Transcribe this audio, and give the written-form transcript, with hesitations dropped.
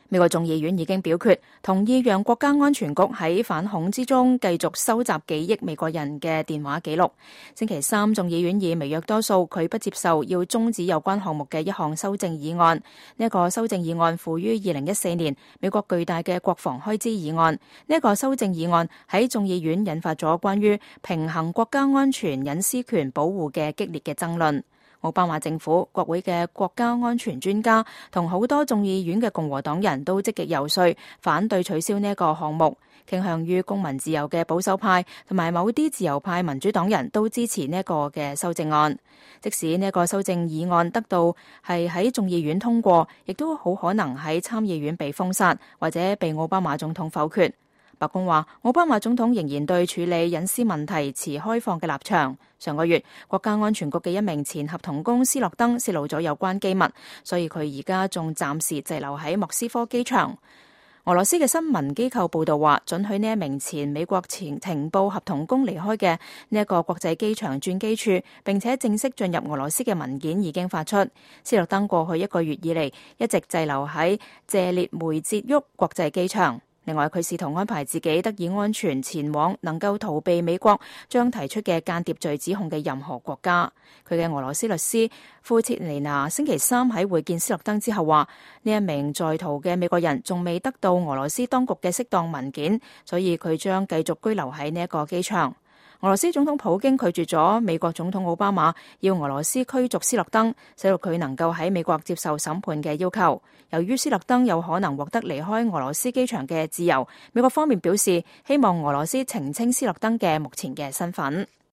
美國眾議院已經表決同意讓國家安全局喺反恐之中繼續收集幾億美國人嘅電話記錄。星期三，眾議院以微弱多數拒不接受要終止有關項目嘅一項修正議案。呢一個修正議案附於2014年美國巨大嘅國防開支議案。呢一個修正議案喺眾議院引發咗關於平衡國家安全隱私權保護嘅激烈嘅爭論。奧巴馬政府、國會嘅國家安全專家同好多眾議院嘅共和黨人都積極游說反對取消呢一個項目，傾向於公民自由嘅保守派同埋某啲自由派民主黨人都支持呢一個嘅修正案。即使呢一個修正議案得到係喺眾議院通過，亦都好可能喺參議院被封殺或者被奧巴馬總統否決。白宮話，奧巴馬總統仍然對處理隱私問題持開放嘅立場。上個月，國家安全局嘅一名前合同工斯諾登泄露咗有關機密，所以佢而家仲暫時滯留喺莫斯科機場。俄羅斯嘅新聞機構報道話，准許呢一名前美國前情報合同工離開嘅呢一個國際機場轉機處，並且正式進入俄羅斯嘅文件已經發出。斯諾登過去一個月以嚟一直滯留喺謝列梅捷沃國際機場。另外，佢試圖安排自己得以安全前往能夠逃避美國將提出嘅間諜罪指控嘅任何國家。佢嘅俄羅斯律師庫切尼娜星期三喺會見斯諾登之後話，呢一名在逃嘅美國人仲未得到俄羅斯當局嘅適當文件，所以佢將繼續居留喺呢一個機場。俄羅斯總統普京拒絕咗美國總統奧巴馬要俄羅斯驅逐斯諾登，使到佢能夠喺美國接受審判嘅要求。由於斯諾登有可能獲得離開俄羅斯機場嘅自由，美國方面表示希望俄羅斯澄清斯諾登嘅目前嘅身份。